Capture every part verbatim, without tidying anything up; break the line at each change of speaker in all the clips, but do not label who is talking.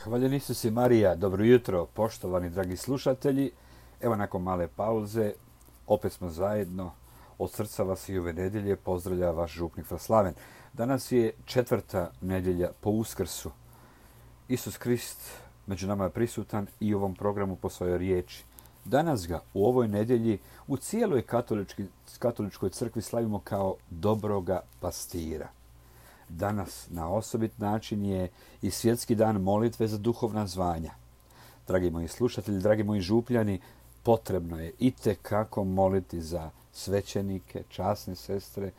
Hvaljen Isus i Marija, dobro jutro, poštovani dragi slušatelji. Evo nakon male pauze, opet smo zajedno. Od srca vas i ove nedjelje pozdravlja vaš župnik Slaven. Danas je četvrta nedjelja po Uskrsu. Isus Krist među nama je prisutan i u ovom programu po svojoj riječi. Danas ga u ovoj nedjelji u cijeloj katoličkoj crkvi slavimo kao dobroga pastira. Danas na osobit način je i svjetski dan molitve za duhovna zvanja. Dragi moji slušatelji, dragi moji župljani, potrebno je itekako moliti za svećenike, časne sestre,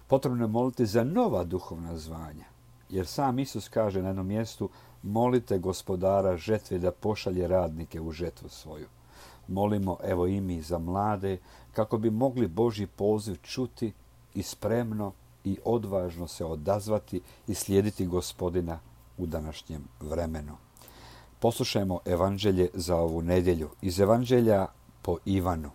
potrebno je moliti za nova duhovna zvanja. Jer sam Isus kaže na jednom mjestu, molite gospodara žetve da pošalje radnike u žetvu svoju. Molimo evo i mi za mlade kako bi mogli Božji poziv čuti i spremno i odvažno se odazvati i slijediti Gospodina u današnjem vremenu. Poslušajmo evanđelje za ovu nedjelju. Iz evanđelja po Ivanu.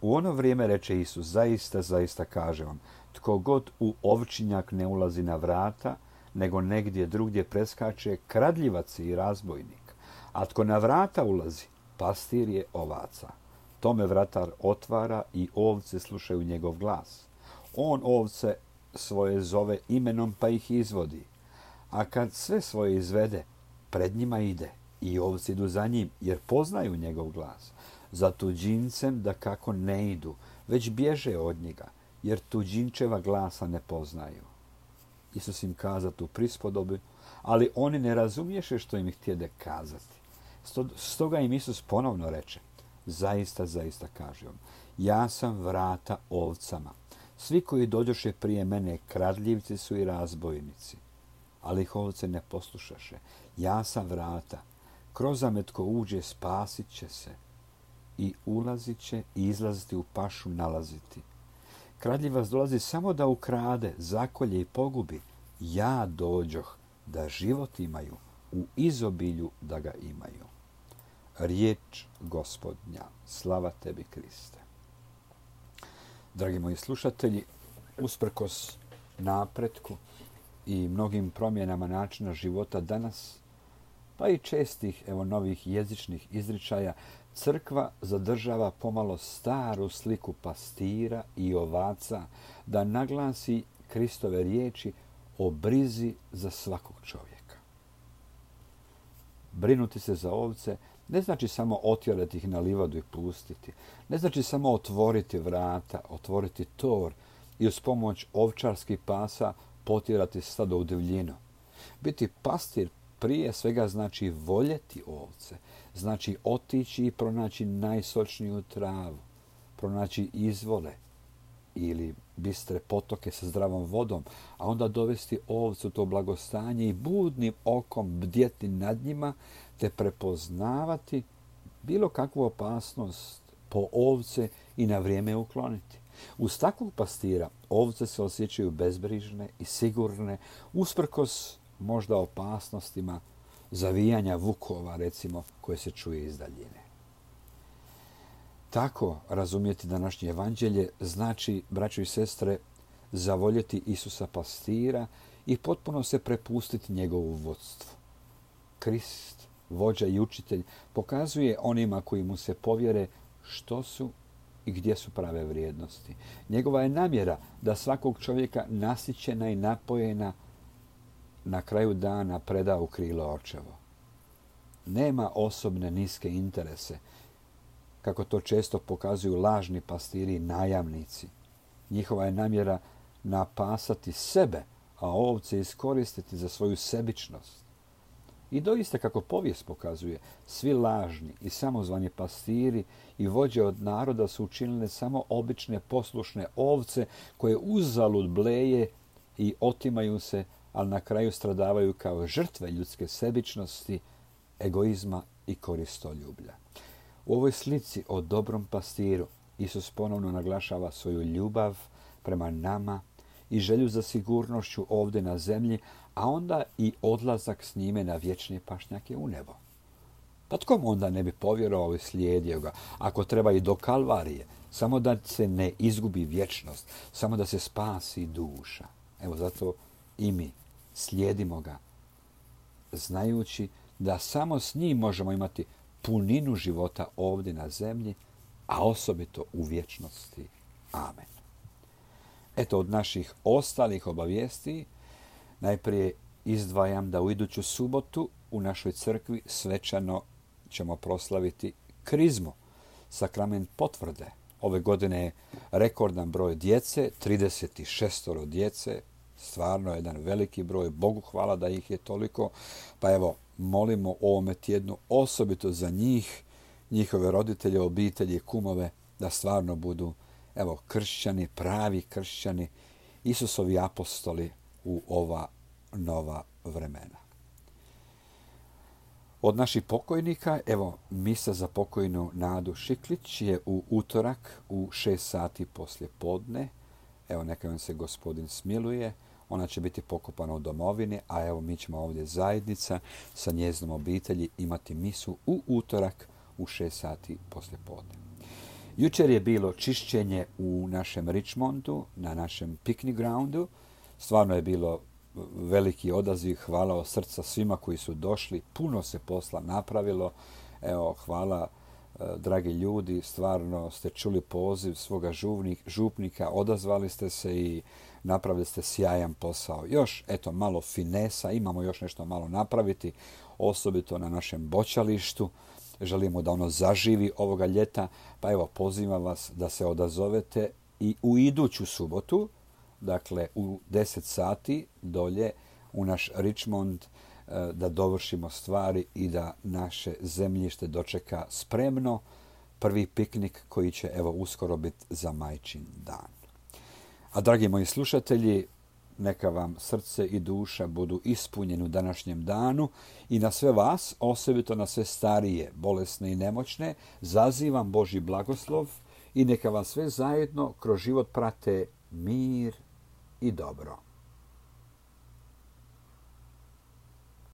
U ono vrijeme reče Isus, zaista, zaista kažem vam, tko god u ovčinjak ne ulazi na vrata, nego negdje drugdje preskače, kradljivac i razbojnik. A tko na vrata ulazi, pastir je ovaca. Tome vratar otvara i ovce slušaju njegov glas. On ovce svoje zove imenom pa ih izvodi. A kad sve svoje izvede, pred njima ide i ovci idu za njim jer poznaju njegov glas. Za tuđincem da kako ne idu, već bježe od njega jer tuđinčeva glasa ne poznaju. Isus im kaza tu prispodobu, ali oni ne razumješe što im htjede kazati. Stoga im Isus ponovno reče, zaista, zaista kažem vam, ja sam vrata ovcama. Svi koji dođoše prije mene kradljivci su i razbojnici, ali ih ovce ne poslušaše. Ja sam vrata. Kroz me tko uđe spasit će se i ulazit će i izlaziti u pašu nalaziti. Kradljivac dolazi samo da ukrade, zakolje i pogubi. Ja dođoh da život imaju, u izobilju da ga imaju. Riječ Gospodnja. Slava tebi, Kriste. Dragi moji slušatelji, usprkos napretku i mnogim promjenama načina života danas, pa i čestih evo novih jezičnih izričaja, crkva zadržava pomalo staru sliku pastira i ovaca da naglasi Kristove riječi o brizi za svakog čovjeka. Brinuti se za ovce ne znači samo otjerati ih na livadu i pustiti. Ne znači samo otvoriti vrata, otvoriti tor i uz pomoć ovčarskih pasa potjerati stado u divljinu. Biti pastir prije svega znači voljeti ovce. Znači otići i pronaći najsočniju travu, pronaći izvole ili bistre potoke sa zdravom vodom, a onda dovesti ovcu to blagostanje i budnim okom bdjeti nad njima, te prepoznavati bilo kakvu opasnost po ovce i na vrijeme ukloniti. Uz takvog pastira ovce se osjećaju bezbrižne i sigurne, usprkos možda opasnostima zavijanja vukova, recimo, koje se čuje iz daljine. Tako razumjeti današnje evanđelje znači, braćo i sestre, zavoljeti Isusa pastira i potpuno se prepustiti njegovu vodstvu. Krist, vođa i učitelj, pokazuje onima koji mu se povjere što su i gdje su prave vrijednosti. Njegova je namjera da svakog čovjeka nasićena i napojena na kraju dana preda u krilo očevo. Nema osobne niske interese, kako to često pokazuju lažni pastiri i najamnici. Njihova je namjera napasati sebe, a ovce iskoristiti za svoju sebičnost. I doista, kako povijest pokazuje, svi lažni i samozvani pastiri i vođe od naroda su učinile samo obične poslušne ovce koje uzalud bleje i otimaju se, ali na kraju stradavaju kao žrtve ljudske sebičnosti, egoizma i koristoljublja. U ovoj slici o dobrom pastiru Isus ponovno naglašava svoju ljubav prema nama i želju za sigurnošću ovdje na zemlji, a onda i odlazak s njime na vječne pašnjake u nebo. Pa tko mu onda ne bi povjerovao i slijedio ga, ako treba i do Kalvarije, samo da se ne izgubi vječnost, samo da se spasi duša. Evo zato i mi slijedimo ga znajući da samo s njim možemo imati puninu života ovdje na zemlji, a osobito u vječnosti. Amen. Eto, od naših ostalih obavijesti najprije izdvajam da u iduću subotu u našoj crkvi svečano ćemo proslaviti krizmu, sakrament potvrde. Ove godine je rekordan broj djece, trideset šest djece, stvarno jedan veliki broj, Bogu hvala da ih je toliko. Pa evo, molimo o ovome tjednu osobito za njih, njihove roditelje, obitelji, kumove, da stvarno budu evo, kršćani, pravi kršćani, Isusovi apostoli u ova nova vremena. Od naših pokojnika, evo, misa za pokojnu Nadu Šiklić je u utorak u šest sati poslje podne. Evo, neka vam se Gospodin smiluje. Ona će biti pokopana u domovini, a evo mi ćemo ovdje zajednica sa njezinom obitelji imati misu u utorak u šest sati poslje podne. Jučer je bilo čišćenje u našem Richmondu, na našem picnic groundu. Stvarno je bilo veliki odaziv, hvala od srca svima koji su došli. Puno se posla napravilo. Evo, hvala, dragi ljudi, stvarno ste čuli poziv svoga župnik, župnika, odazvali ste se i napravili ste sjajan posao. Još, eto, malo finesa, imamo još nešto malo napraviti, osobito na našem boćalištu. Želimo da ono zaživi ovoga ljeta, pa evo, pozivam vas da se odazovete i u iduću subotu, dakle u deset sati dolje u naš Richmond, da dovršimo stvari i da naše zemljište dočeka spremno prvi piknik koji će evo uskoro biti za Majčin dan. A dragi moji slušatelji, neka vam srce i duša budu ispunjeni u današnjem danu i na sve vas, osobito na sve starije, bolesne i nemoćne, zazivam Božji blagoslov i neka vam sve zajedno kroz život prate mir i dobro.